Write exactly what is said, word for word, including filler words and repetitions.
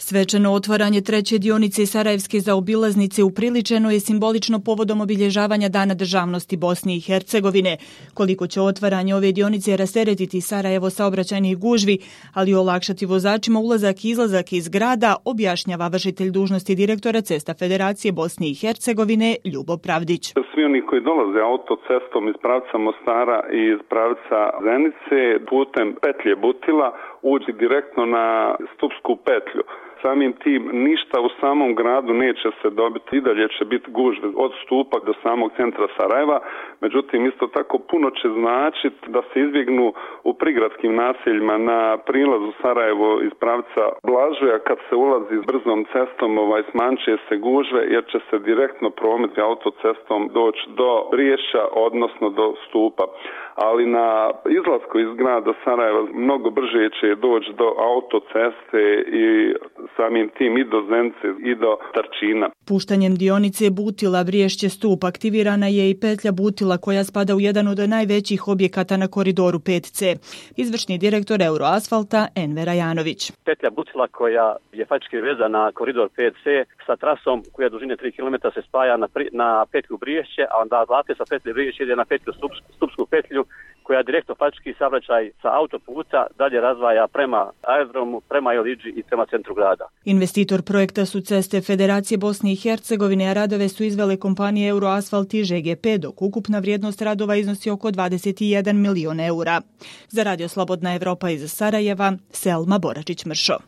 Svečano otvaranje treće dionice Sarajevske zaobilaznice upriličeno je simbolično povodom obilježavanja Dana državnosti Bosne i Hercegovine. Koliko će otvaranje ove dionice rasteretiti Sarajevo saobraćajnih gužvi, ali i olakšati vozačima ulazak i izlazak iz grada, objašnjava vršitelj dužnosti direktora Cesta Federacije Bosne i Hercegovine Ljubo Pravdić. Svi oni koji dolaze autocestom iz pravca Mostara i iz pravca Zenice putem petlje Butila uđi direktno na Stupsku petlju. Samim tim ništa u samom gradu neće se dobiti, i dalje će biti gužve od Stupa do samog centra Sarajeva, međutim isto tako puno će značiti da se izbjegnu u prigradskim naseljima na prilazu Sarajevo iz pravca Blažuja kad se ulazi s brzom cestom, ovaj, smanjuje se gužve jer će se direktno promet autocestom doći do Briješća, odnosno do Stupa. Ali na izlasku iz grada Sarajeva mnogo brže će doći do autoceste i samim tim i do Zenice i do Tarčina. Puštanjem dionice Butila Briješće Stup aktivirana je i petlja Butila koja spada u jedan od najvećih objekata na koridoru pet ce. Izvršni direktor Euroasfalta Enver Ajanović. Petlja Butila koja je faktički vezana na koridor pet ce sa trasom koja dužine tri kilometra se spaja na, pri, na petlju Briješće, a onda odatle sa petlje Briješće ide na petlju Stup, Stupsku petlju koja direktno faktički saobraćaj sa autoputa dalje razvaja prema aerodromu, prema Eliđi i prema centru grada. Investitor projekta su Ceste Federacije Bosne i Hercegovine, a radove su izvele kompanije Euroasfalt i že ge pe, dok ukupna vrijednost radova iznosi oko dvadeset jedan milion eura. Za Radio Slobodna Evropa iz Sarajeva, Selma Boračić-Mršo.